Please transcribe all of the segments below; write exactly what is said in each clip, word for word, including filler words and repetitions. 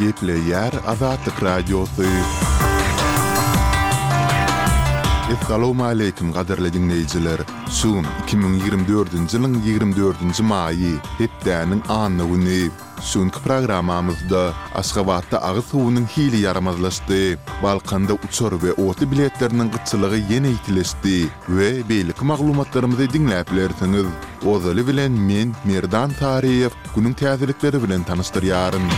Gepleýär Azatlyk Radiosy. Essalawmaleýkim gadyrly diňleýjiler! Şu gün iki müň ýigrimi dördünji ýylyň ýigrimi dördünji maýy, hepdäniň anna güni. Şu günki programmamyzda Aşgabatda agyz suwunyň hili ýaramazlaşdy, Balkanda uçar we otly biletleriniň gytçylygy ýene ýitileşdi we beýleki maglumatlarymyzy diňläp bilersiňiz. Ozaly bilen men, Merdan Saryýew, günüň täzelikleri bilen tanyşdyrýaryn.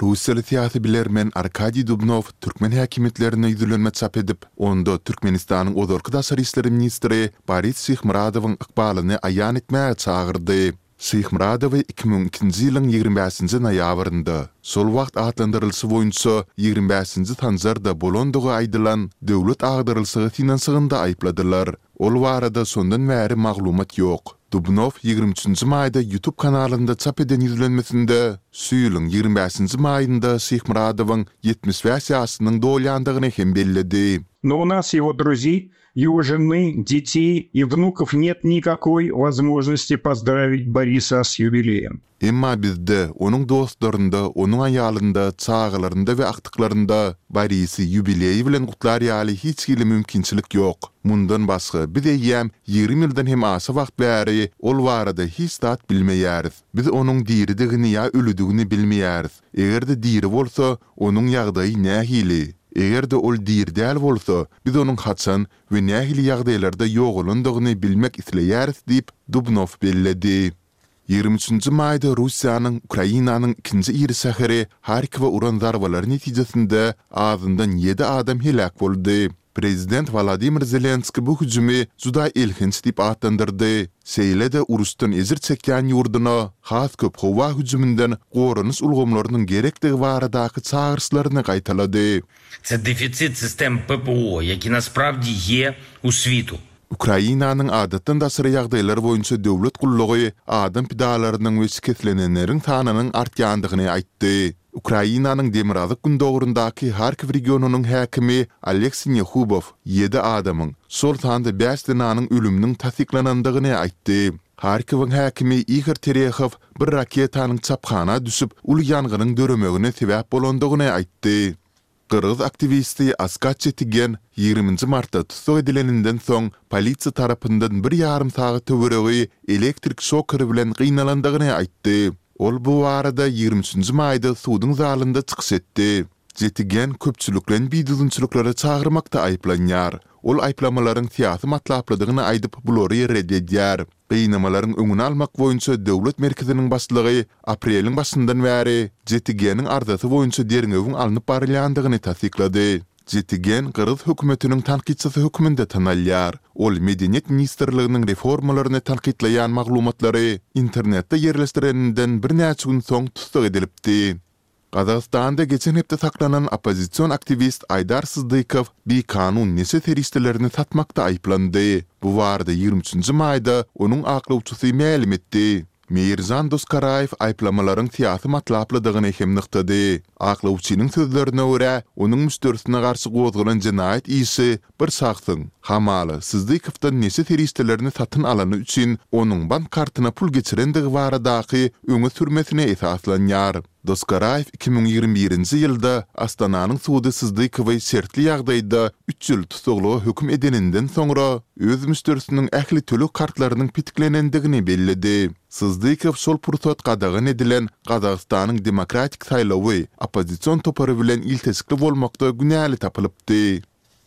Russiýaly syýasy bilermen Arkadiý Dubnow türkmen häkimiýetlerine ýüzlenme çap edip, onda Türkmenistanyň ozalky daşary işler ministri Boris Şyhmyradowyň ykbalyny aýan etmäge çagyrdy. Şyhmyradowy iki müň ikinji ýylyň ýigrimi bäşinji noýabrynda, şol wagt atlandyrylyşy boýunça ýigrimi bäşinji Sanjarda bolandygy aýdylan döwlet agdarylyşygy synanyşygynda aýypladylar. Ol barada şondan bäri maglumat ýok. Dubnow ýigrimi üçünji maýda YouTube kanalynda çap eden ýüzlenmesinde şu ýylyň ýigrimi bäşinji maýynda Şyhmyradowyň ýetmiş bäş ýaşynyň dolýandygyny hem belledi. No u nas ýego druzeý Его жены, detey и внуков нет никакой возможности поздравить Бориса с юбилеем. Emma bizde, onuň dostlarynda, onuň aýalynda, çagalarynda we agtyklarynda Borisi ýubileýi bilen gutlar ýaly hiç hili mümkinçilik ýok. Mundan başga, biz eýýäm ýigrimi ýyldan hem aşa wagt bäri ol barada hiç zat bilmeýäris. Biz onuň diridigini ýa ölüdigini bilmeýäris. Eger-de diri bolsa, onuň ýagdaýy nähili? Eger-de ol diri däl bolsa, biz onuň haçan we nähili ýagdaýlarda ýogalandygyny bilmek isleýäris diýip, Dubnow belledi. Ýigrimi üçünji maýda Russiýanyň Ukrainanyň ikinji iri şäheri Harkowa uran zarbalary netijesinde azyndan ýedi adam heläk boldy. Prezident Wolodymyr Zelenskiý bu hüjümi juda elhenç diýip atlandyrdy, şeýle-de uruşdan ejir çekýän ýurduna has köp howa hüjüminden goranyş ulgamlarynyň gerekdigi baradaky çagyryşlaryny gaýtalady. Це дефіцит систем ППО, які насправді є у світу. Ukrainanyň Adatdan daşary ýagdaýlar boýunça döwlet gullugy adam pidalarynyň we şikeslenenleriň sanynyň artýandygyny aýtdy. Ukrainanyň demirgazyk-gündogaryndaky Harkiw regionynyň häkimi Oleg Sinehubow ýedi adamyň, şol sanda bäş zenanyň ölüminiň tassyklanandygyny aýtdy. Harkiwiň häkimi Ihor Terehow bir raketanyň çaphana düşüp, uly ýangynyň döremegine sebäp bolandygyny aýtdy. Gyrgyz aktiwisti Askat Çetigen ýigriminji martda tussag edileninden soň polisiýa tarapyndan bir ýarym sagat töweregi elektrik şokeri bilen gynalandygyny aýtdy. Ol bu barada ýigrimi üçünji maýda suduň zalynda çykyş etdi. Çetigen köpçülikleýin bidüzgünçiliklere çagyrmakda aýyplanýar. Ol aýyplamalaryň syýasy matlaplydygyny aýdyp, bulary ret edýär. Gynamalaryň öňüni almak boýunça döwlet merkeziniň başlygy apreliň başyndan bäri Jetigeniň arzasy boýunça derňewiň alnyp barylýandygyny tassyklady. Jetigen gyrgyz hökümetiniň tankytçysy hökmünde tanalýar. Ol Medeniýet ministrliginiň reformalaryny tankytlaýan maglumatlary internetde ýerleşdireninden birnäçe gün soň tussag edilipdi. Gazagystanda geçen hepde saklanan oppozision aktiwist Aýdar Syzdykow bikanun neşe serişdelerini satmakda aýyplandy. Bu barada ýigrimi üçünji maýda onuň aklawçysy mälim etdi. Meýirjan Doskaraýew aýyplamalaryň syýasy matlaplydygyny hem nygtady. Aklawçynyň sözlerine görä, onuň müşderisine garşy gozgalan jenaýat işi bir şahsyň, hamala, Syzdykowdan neşe serişdelerini satyn alany üçin onuň bank kartyna pul geçirendigi baradaky öňe sürmesine esaslanýar. Doskaraýew iki müň ýigrimi birinji ýylda Astananyň sudy Syzdykowy şertli ýagdaýda üç ýyl tussaglyga höküm edeninden soňra, öz müşderisiniň ähli töleg kartlarynyň petiklenendigini belledi. Syzdykow şol pursat gadagan edilen Gazagystanyň Demokratik saýlawy oppozision topary bilen ilteşikli bolmakda günäli tapylypdy.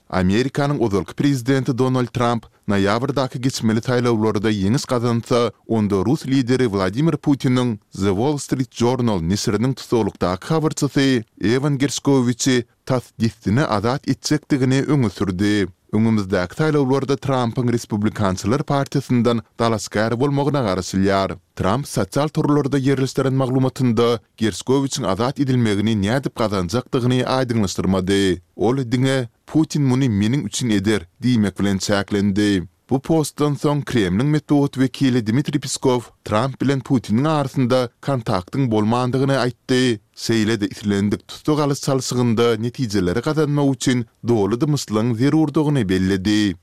Amerikanyň ozalky prezidenti Donald Tramp noýabrdaky geçmeli saýlawlarda ýeňiş gazansa, onda rus lideri Wladimir Putiniň The Wall Street Journal neşiriniň tussaglykdaky habarçysy Ewan Gerşkowiçi tas dessine azat etjekdigini öňe sürdi. Öňümizdäki saýlawlarda Trampyň Respublikançylar partiýasyndan dalaşgär bolmagyna garaşylýar. Tramp sosial torlarda ýerleşdiren maglumatynda Gerşkowiçiň azat edilmegini nädip gazanjakdygyny aýdyňlaşdyrmady. Ol diňe Putin muny meniň üçin eder diýmek bilen çäklendi. Bu postdan soň Kremliň metbugat wekili Dmitriý Peskow Tramp bilen Putiniň arasynda kontaktyň bolmandygyny aýtdy, şeýle-de islendik tussag alyş çalşygynda netijeleri gazanmak üçin doly dymyşlygyň zerurdygyny belledi.